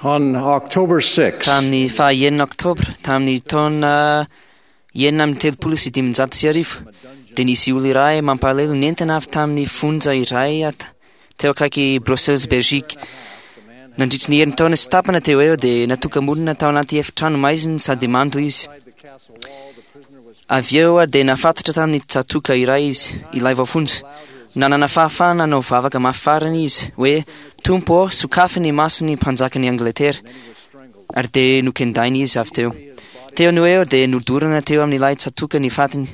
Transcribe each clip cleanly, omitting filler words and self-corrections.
On October 6, Tamin'ny faha enina oktobra tamin'ny taona 1536 dia nisy olo iray mampalahelo nentina avy tamin'ny fonja iray teo akaiky Brussels, Belgique. Nandritry ny herintaona sy tapana teo eo dia natoka-monina tao anaty efitrano maizina sady mando izy. Avy eo dia nafatotra tamin'ny tsatoka iray izy, ilay voafonja. Nanana fahafahana nanao vavaka mafy farany izy hoe Tompo ô, sokafy ny mason'ny mpanjakan'i Angletera. Ary dia nokendaina izy avy teo. Teo no eo dia nodorana teo amin'ilay tsatoka ny fatiny.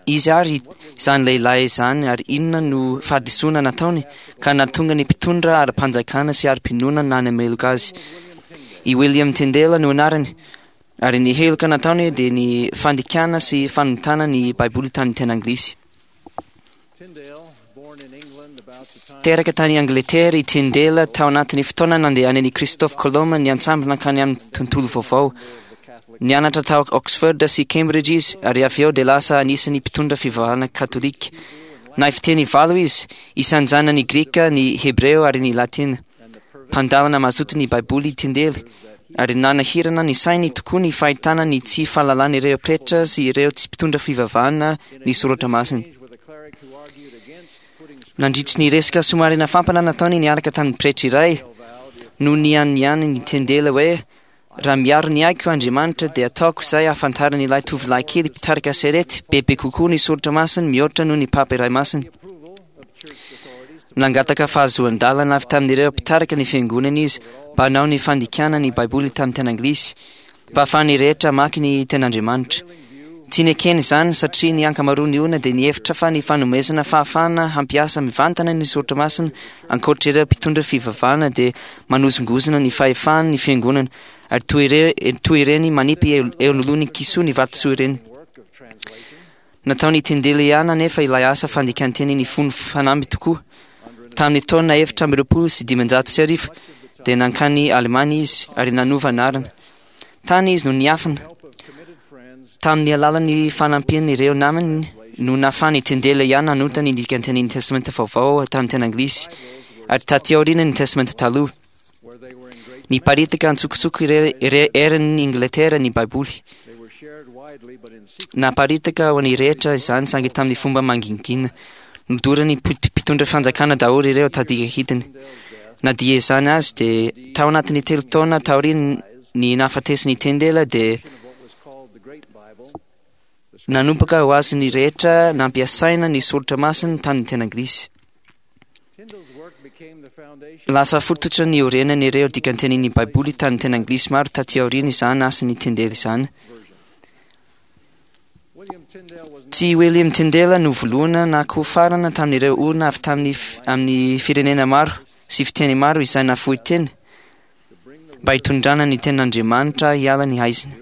Izy ary izany lehilahy izany ary inona no fahadisoana nataony ka nahatonga ny mpitondra ara-panjakana sy ara-pinoana nanameloka azy. I William Tyndale no anarany ary ny heloka nataony dia ny fandikana sy fanontana ny Baiboly tamin'ny teny anglisy. Teraka tany Angletera i Tyndale tao anatin'ny fotoana nandehanan'i Christophe Colomb niantsambo nankany amin'ny tontolo vaovao. Nianatra tao Oxford sy Cambridge izy ary avy eo dia lasa anisan'ny mpitondra fivavahana katolika. Nahay fiteny valo izy, isan'izany ny grika, ny hebreo ary ny latina. Mpandalina mazoto ny Baiboly i Tyndale ary nanahirana ny sainy tokoa ny fahitana ny tsy fahalalan'ireo pretra sy ireo tsy mpitondra fivavahana ny soratra masina. Nandritry ny resaka somary nafampana nataony niaraka tamin'ny pretra iray, no nianiany ny Tyndale hoe raha miaro ny aiko Andriamanitra dia ataoko izay ahafantaran'ilay tovolahy kely mpitarika sarety bebe kokoa ny soratra masina mihoatra noho ny papa iray masina. Nangataka fahazoan-dalana avy tamin'ireo mpitarika ny fiangonana izy mba hanao ny fandikana ny Baiboly tamin'ny teny anglisy mba ahafahan'ny rehetra hamaky ny tenin'Andriamanitra. Tsy nekeny izany satria ny ankamaroan'ny olona dia nihevitra fa ny fanomezana fahafahana hampiasa mivantana ny soratra masina ankoatra ireo mpitondra fivavahana dia manozongozona ny fahefan'ny fiangonana ary toy ire- toy ireny manipy eo eo anoloan'ny kisoa ny vatosoa ireny. Nataon'i Tyndale ihany anefa ilay asa fandikan-teny nifono fanamby tokoa. Tamin'ny taona 1524 dia nankany Alemana izy ary nanova anarana. Tany izy no niafina. Tamin'ny alalan'ny fanampian'ireo namany no nahafahan'i Tyndale ihany nanonta ny dikan-tenin'ny Testamenta Vaovao tamin'ny teny anglisy ary taty aoriana ny Testamenta Taloha. Niparitaka antsokosoko ire- ire- eran'ny Ingletera ny Baiboly. Naparitaka ho an'ny rehetra izany saingy tamin'ny fomba mangingina. Nodoran'ny mpitondra fanjakana daholo ireo tadika hidiny. Na dia izany azy dia tao anatin'ny telo taona taorian'ny nahafatesan'i Tyndale dia nanomboka ho azon'ny rehetra nampiasaina ny soratra masina tamin'ny teny anglisy. Lasa fototra niorenan'ireo dikantenin'ny Baiboly tamin'ny teny anglisy maro taty aoriana izany asan'i Tyndale izany. Tsy William Tyndale no voalohany na koa farana tamin'ireo olona avy tamin'ny amin'ny firenena maro sy fiteny maro izay nafoy tena mba hitondrana ny tenin'Andriamanitra hiala ny haizina.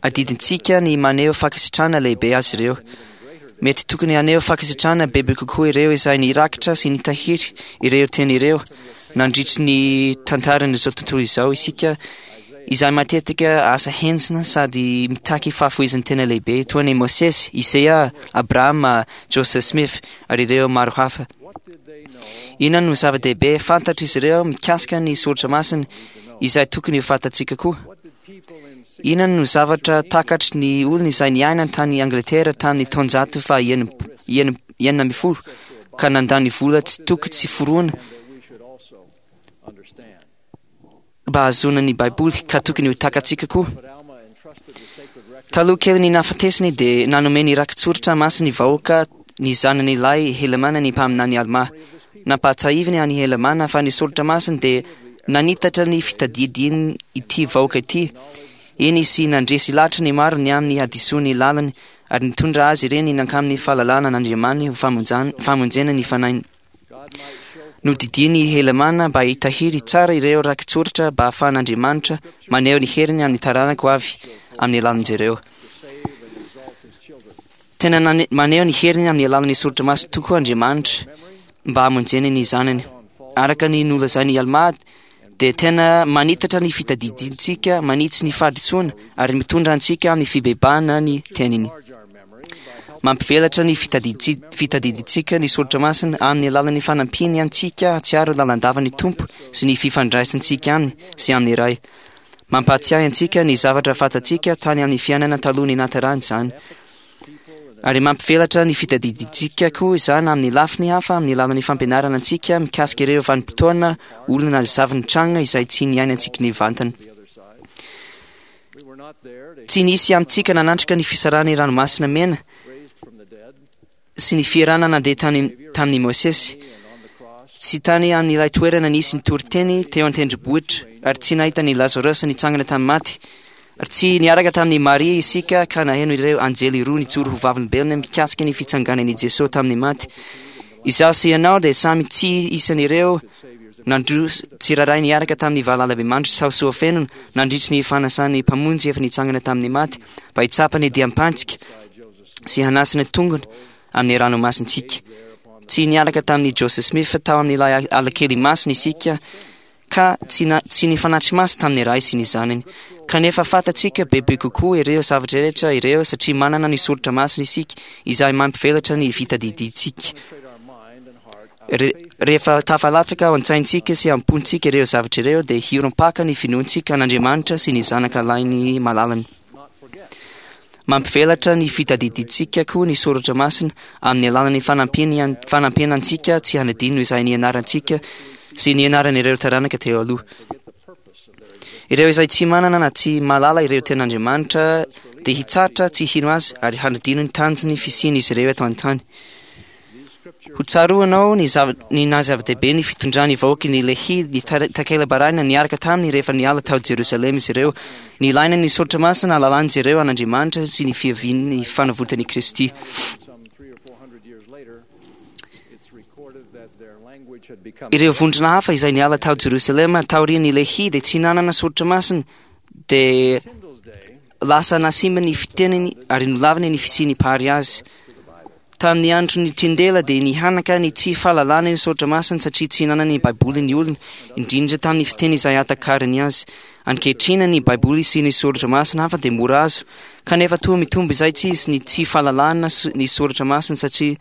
Adidintsika ny maneho fankasitrahana lehibe azy ireo. Mety tokony haneho fankasitrahana bebe kokoa ireo izay nirakitra sy nitahiry ireo teny ireo nandritry ny tantaran'izao tontolo izao isika izay matetika asa henjana sady mitaky fahafoizan-tena lehibe toa an'i Mosesy, Isaia, Abrahama, Joseph Smith ary ireo maro hafa. Inona no zava-dehibe fantatr'izy ireo mikasika ny soratra masina izay tokony ho fantatsika koa? Inona no zavatra takatry ny olona izay niaina tany Angletera tamin'ny taonjato faha 16 ka nandany vola tsy toko tsy foroana mba hahazoana ny Baiboly ka tokony ho takatsika koa? Taloha kelin'ny nahafatesany dia nanome ny rakitsoratra masin'ny vahoaka ny zanany lahy Helamàna ny mpaminany Almà. Nampahatsiahiviny an'i Helamàna fa ny soratra masina dia nanitatra ny fitadidiany ity vahoaka ity, eny sy nandresy lahatra ny maro ny amin'ny hadisoan'ny lalany ary nitondra azy ireny nankamin'ny fahalalana an'Andriamaniny ho famonjena ny fanahiny. Nodidiany i Helamàna mba hitahiry tsara ireo rakitsoratra mba hahafahan'Andriamanitra maneho ny heriny amin'ny taranaka ho avy amin'ny alalan'izy ireo. Tena maneho ny heriny amin'ny alalan'ny soratra masina tokoa Andriamanitra mba hamonjeny ny zanany. Araka ny nolazain'i Almà dia tena manitatra ny fitadidintsika, manitsy ny fahadisoana ary mitondra antsika amin'ny fibebahana ny teniny. Mampivelatra ny fitadidintsika ny soratra masina amin'ny alalan'ny fanampiany antsika hahatsiaro lalandava ny Tompo sy ny fifandraisantsika aminy sy amin'ny Ray. Mampahatsiahy antsika ny zavatra fantatsika tany amin'ny fiainana taloha ny nahaterahany izany. Ary mampivelatra ny fitadidintsika koa izany amin'ny lafiny hafa amin'ny alalan'ny fampianarana antsika mikasika ireo vanim-potoana, olona na zava-nitranga izay tsy niainantsika nivantana. Tsy nisy amintsika nanatrika ny fisarahan'ny ranomasina mena sy ny fierana nandeha tany tamin'i Mosesy. Tsy tany amin'ilay toerana nisy ny toriteny teo an-tendrombohitra, ary tsy nahita an'i Lazarosy nitsangana tamin'ny maty. Ary tsy niaraka tamin'i Maria isika ka naheno ireo anjely roa nijoro ho vavolombelona mikasika ny fitsanganan'i Jesosy tamin'ny maty. Izaho sy ianao dia samy tsy isan'ireo nandroso tsirairay niaraka tamin'ny valalabemandry tao Soafenona nandritry ny fanasan'ny Mpamonjy efa nitsangana tamin'ny maty mba hitsapa ny diam-pantsika sy hanasina tongony amin'ny ranomasintsika. Tsy niaraka tamin'i Joseph Smith tao amin'ilay alakely masina isika ka tsy na, tsy nifanatri-maso tamin'ny Ray sy ny Zanany. Kanefa fantatsika bebe kokoa ireo zavatra rehetra ireo satria manana ny soratra masina isika izay mampivelatra ny fitadidintsika. Re, rehefa tafalatsaka ao an-tsaintsika sy am-pontsika ireo zavatra ireo dia hiorim-paka ny finoantsika an'Andriamanitra sy ny Zanaka lahiny malalany. Mampivelatra ny fitadidintsika koa ny soratra masina amin'ny alalan'ny fanampiana antsika tsy hanadino izay nianarantsika sy nianaran'ireo taranaka teo aloha. Ireo izay tsy manana na tsy mahalala ireo tenin'Andriamanitra dia hitsahatra tsy hino azy ary hanadino ny tanjon'ny fisian'izy ireo eto an-tany. Ho tsaroanao ny zava, ny naha zava-dehibe ny fitondran'ny vahoaky ny Lehi ny takela-barahina niaraka taminy rehefa niala tao Jerosalema izy ireo. Nilaina ny soratra masina hahalalan'izy ireo an'Andriamanitra sy ny fiavian'ny fanavotan'i Kristy. Ireo vondrona hafa izay niala tao Jerosalema taorian'i Lehi dia tsy nanana soratra masina, dia lasa nasimba ny fiteniny ary nolaviny ny fisian'ny Mpahary azy. Tamin'ny andron'i Tyndale dia nihanaka ny tsy fahalalana ny soratra masina satria tsy nanana ny Baiboly ny olona, indrindra tamin'ny fiteny izay ahatakarany azy. Ankehitriny ny Baiboly sy ny soratra masina hafa dia mora azo, kanefa toa mitombo izaitsizy ny tsy fahalalana ny soratra masina satria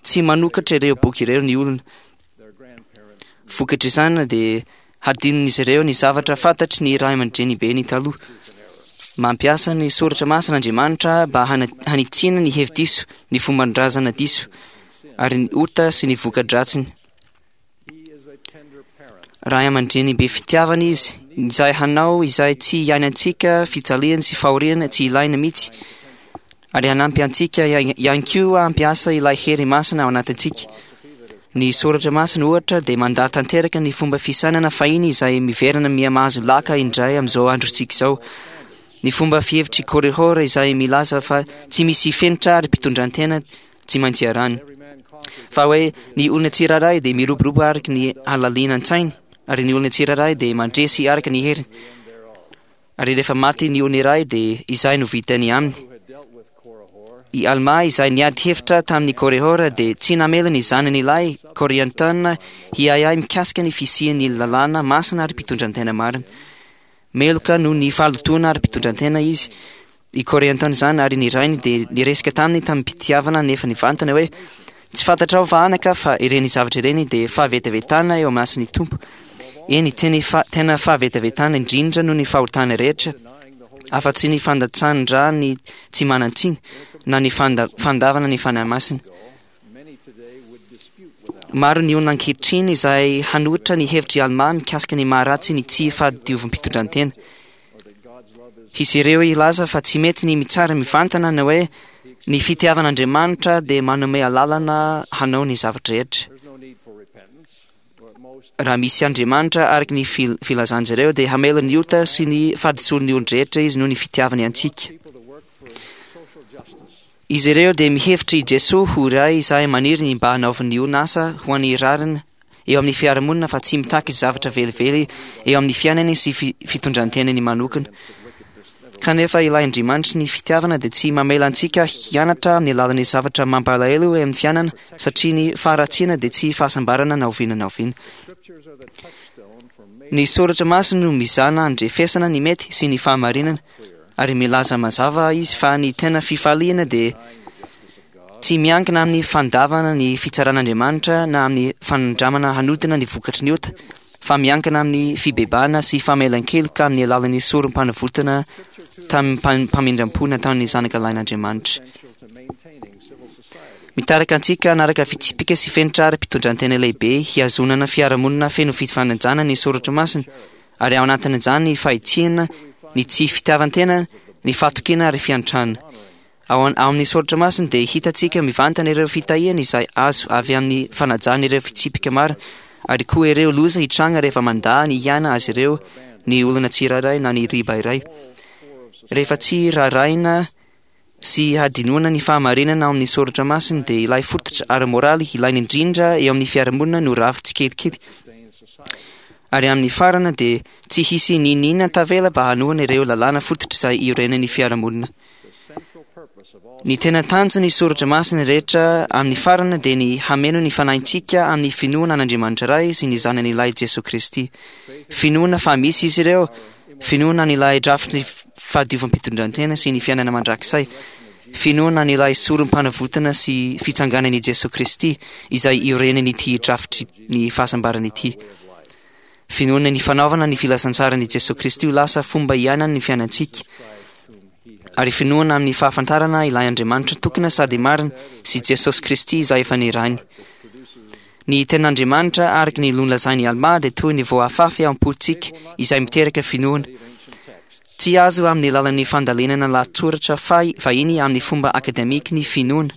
tsy manokatra ireo boky ireo ny olona. Vokatr'izany dia hadinon'izy ireo ny zavatra fantatry ny ray aman-drenibeny taloha. Mampiasa ny soratra masina Andriamanitra mba hanitsiana ny hevi-diso, ny fomban-drazana diso, ary ny ota sy ny voka-dratsiny. Ray aman-dreny be fitiavana izy, izay hanao izay tsy hiainantsika fijaliana sy fahoriana tsy ilaina mihitsy, ary hanampy antsika ihany koa hampiasa ilay hery masina ao anatintsika. Ny soratra masina, ohatra, dia mandà tanteraka ny fomba fisainana fahiny izay miverina miha-mahazo laka indray amin'izao androntsika izao. Ny fomba fihevitr'i Korihor izay milaza fa tsy misy fenitra ary mpitondran-tena tsy maintsy iarahany. Fa hoe ny olona tsirairay dia miroborobo araka ny halalinan-tsainy, ary ny olona tsirairay dia mandresy araka ny heriny. Ary rehefa maty ny olona iray dia izay no vitany aminy. I Almà izay niady hevitra tamin'i Korihor dia tsy namela ny zanany lahy Koriantona hiahiahy mikasika ny fisian'ny lalàna masina ary mpitondran-tena marina. Meloka noho ny fahalotoana ary mpitondran-tena izy. I Koriantona izany ary ny rainy dia niresaka taminy tamim-pitiavana nefa nivantana hoe, Tsy fantatrao va anaka fa ireny zavatra ireny dia fahavetavetana eo imason'ny Tompo? Eny, teny fa, tena fahavetavetana indrindra noho ny fahotana rehetra, afa-tsy ny fandatsahan-dra ny tsy manan-tsiny, na ny fanda, fandavana ny Fanahy Masina. Maro ny olona ankehitriny izay hanohitra ny hevitr'i Almà mikasika ny maha-ratsy ny tsy fahadiovam-pitondrantena. Hisy ireo hilaza fa tsy mety ny mitsara mivantana ny hoe ny fitiavan'Andriamanitra dia manome alalana hanao ny zava-drehetra. Raha misy Andriamanitra araka ny filazan'izy ireo dia hamela ny ota sy ny fahadisoan'ny olon-drehetra izy noho ny fitiavany antsika. Izy ireo dia mihevitra i Jesoa ho iray izay maniry ny mba hanaovan'ny olona asa ho an'ny rariny eo amin'ny fiarahamonina fa tsy mitaky zavatra velively eo amin'ny fiainany sy fitondran-tenany manokana. Kanefa ilay Andriamanitry ny fitiavana dia tsy mamela antsika hianatra amin'ny alalan'ny zavatra mampalahelo eo amin'ny fiainana, satria ny faharatsiana dia tsy fahasambarana na oviana na oviana. Ny soratra masina no mizana handrefesana ny mety sy ny fahamarinana, ary milaza mazava izy fa ny tena fifaliana dia. Tsy miankina amin'ny fandavana ny fitsaran'Andriamanitra na amin'ny fanandramana hanodina ny vokatry ny ota, fa miankina amin'ny fibebahana sy famelan-keloka amin'ny alalan'ny sorom-panavotana tamim-pamindram-po nataon'ny Zanaka Lahin'Andriamanitra. Mitarika antsika hanaraka fitsipika sy fenitra ara-pitondran-tena lehibe hihazonana fiarahamonina feno fifanajana ny Soratra Masina, ary ao anatin'izany ny fahitsiana, ny tsy fitiavan-tena, ny fahatokiana ary fiantrana. Ao amin'ny Soratra Masina dia hitantsika mivantana ireo fitahiana izay azo avy amin'ny fanajana ireo fitsipika marina, ary koa ireo loza hitranga rehefa mandà ny hiaina azy ireo ny olona tsirairay na ny riba iray. Rehefa tsy raharahiana sy hadinoana ny fahamarinana ao amin'ny Soratra Masina dia ilay fototra ara-moraly ilaina indrindra eo amin'ny fiarahamonina no rava tsikelikely. Ary amin'ny farany dia tsy hisy n'inon'inona tavela mba hanohana ireo lalàna fototra izay iorenan'ny fiarahamonina. Ny tena tanjon'ny Soratra Masina rehetra amin'ny farany dia ny hameno ny fanahintsika amin'ny finoana an'Andriamanitra Ray sy ny Zanany Lahy Jesoa Kristy. Finoana fa misy Izy ireo, finoana an'ilay drafitry ny fahadiovam-pitondrantena sy ny fiainana mandrakizay, finoana an'ilay sorom-panavotana sy fitsanganan'i Jesoa Kristy izay iorenan'ity drafitry ny fahasambarana ity. Finoana ny fanaovana ny filazantsaran'i Jesoa Kristy ho lasa fomba iainany ny fiainantsika, ary finoana amin'ny fahafantarana ilay Andriamanitra tokana sady marina sy Jesosy Kristy izay efa nirahiny. Ny tenin'Andriamanitra araka ny nolazain'i Almà dia toy ny voafafy ao am-pontsika izay miteraka finoana. Tsy azo amin'ny alalan'ny fandalinana lahatsoratra fahiny amin'ny fomba akademika ny finoana.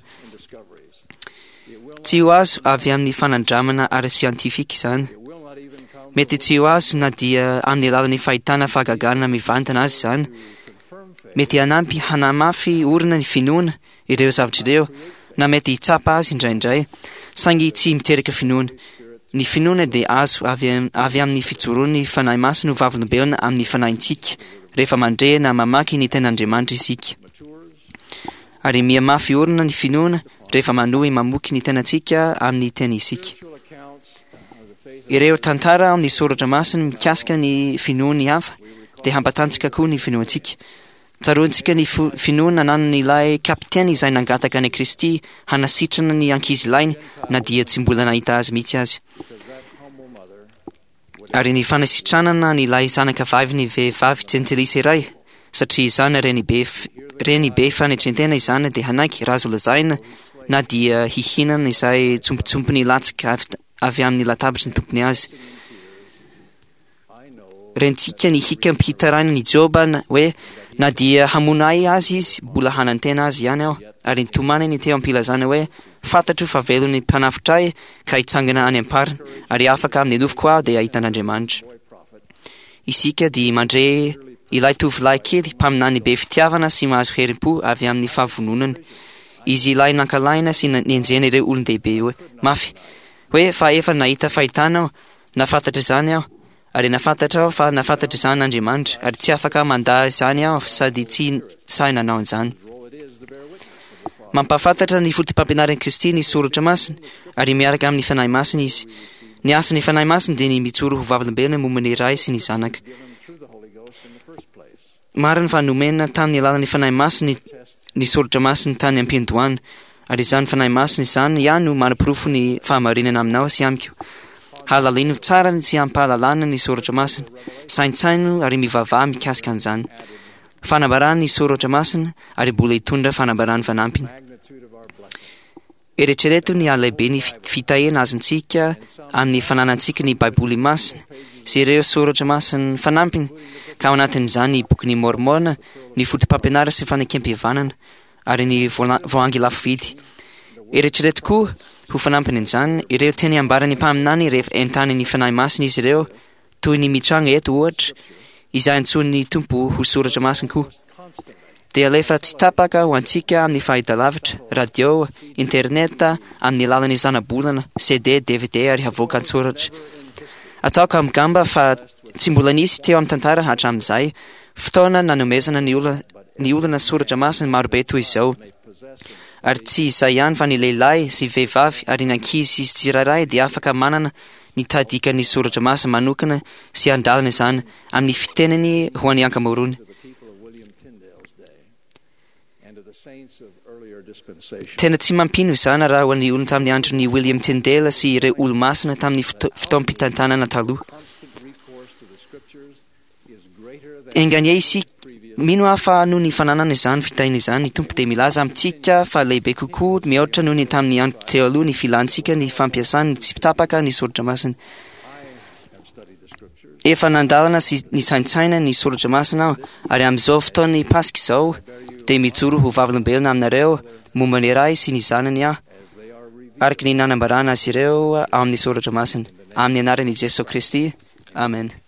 Tsy ho azo avy amin'ny fanandramana ara-siantifika izany. Mety tsy ho azo na dia amin'ny alalan'ny fahitana fahagagana mivantana aza izany. Mety hanampy hanamafy orina ny finoana ireo zavatra ireo, na mety hitsapa azy indraindray, saingy tsy miteraka finoana. Ny finoana dia azo avy avy amin'ny fijoroan'ny Fanahy Masina ho vavolombelona amin'ny fanahintsika rehefa mandre na mamaky ny Tenin'Andriamanitra isika. Ary mihamafy orina ny finoana rehefa manohy mamoky ny tenantsika amin'ny teny isika. Ireo tantara amin'ny soratra masina mikasika ny finoan'ny hafa dia hampatanjaka koa ny finoantsika. Tsaroantsika ny finoana ananan'ilay kapiteny izay nangataka an'i Kristy hanasitrana ny ankizilahiny na dia tsy mbola nahita azy mihitsy aza. Ary ny fanasitranana an'ilay zanaka vavin'ny vehivavy jentilisa iray, satria izany renibe renibe fanetrentena izany dia hanaiky raha azo lazaina na dia hihinana izay tsompitsompiny latsaka avy avy amin'ny latabatry ny tompony azy. Rentsika ny hikam-pitarainan'i Joba hoe, Na dia hamono ahy aza izy, mbola hanantena azy ihany aho. Ary nitomaniny teo am-pilazana hoe, Fantatro fa velon'ny mpanafotra ahy ka hitsangana any am-pariny, ary afaka amin'ny nofoko aho dia hahita an'Andriamanitra. Isika dia mandre ilay tovolahy kely mpaminany be fitiavana sy mahazo herim-po avy amin'ny fahavononany. Izy ilay nankalaina sy nenjehina ireo olon-dehibe hoe, mafy, hoe fa efa nahita fahitana aho, Nahafantatra izany aho, ary nahafantatra aho fa nahafantatra izany Andriamanitra, ary tsy afaka mandà izany aho sady tsy sahy nanao an'izany. Mampahafantatra ny fotopampianaran'i Kristy ny Soratra Masina, ary miaraka amin'ny Fanahy Masina Izy. Ny asan'ny Fanahy Masina dia ny mijoro ho vavolombelona momba ny Ray sy ny Zanaka. Marina fa nomena tamin'ny alalan'ny Fanahy Masina ny Soratra Masina tany am-piandohana, ary izany Fanahy Masina izany ihany no manaporofo ny fahamarinana aminao sy amiko. Halalino tsara ny tsy ampahalalana ny Soratra Masina, saintsaino ary mivavaha mikasika an'izany. Fanambarana ny Soratra Masina ary mbola hitondra fanambarana fanampiny. Eritrereto ny halehiben'ny fitahiana azontsika amin'ny fananantsika ny Baiboly Masina sy ireo soratra masina fanampiny, ka ao anatin'izany ny Bokin'i Môrmôna, ny Fotopampianarana sy Fanekempihavanana, ary ny Voahangy Lafo Vidy. Eritrereto koa, ho fanampin'izany, ireo teny ambaran'ny mpaminany rehefa entanin'ny Fanahy Masina izy ireo, toy ny mitranga eto ohatra, izay antsoin'ny Tompo ho soratra masina koa. Dia alefa tsy tapaka ho antsika amin'ny fahitalavitra, radio, internet, amin'ny alalan'ny zanabolana, CD, dvd ary havoaka an-tsoratra. Ataoko amgamba fa tsy mbola nisy teo amin'ny tantara hatramin'izay fotoana nanomezana ny olona ny olona soratra masina marobe toy izao. Ary tsy izay ihany fa ny lehilahy sy vehivavy ary ny ankizy sy tsirairay dia afaka manana ny tahadikan'ny soratra masina manokana sy handalina izany amin'ny fiteniny ho an'ny ankamaroany. Tena tsy mampino izany raha ho an'ny olona tamin'ny andron'i William Tyndale sy ireo olo-masina tamin'ny fotoam-pitantanana taloha. Enga anie isika mino aho fa noho ny fananana izany fitahiana izany, ny Tompo dia milaza amintsika fa lehibe kokoa mihoatra noho ny tamin'ny andro teo aloha ny filantsika ny fampiasany tsy tapaka ny soratra masina. Efa nandalana sy nisaintsaina ny soratra masina aho, ary amin'izao fotoan'ny Paska izao dia mijoro ho vavolombelona aminareo momba ny Ray sy ny Zanany aho, araka ny nanambarana azy ireo ao amin'ny soratra masina. Amin'ny anaran'i Jesoa Kristy. Amen.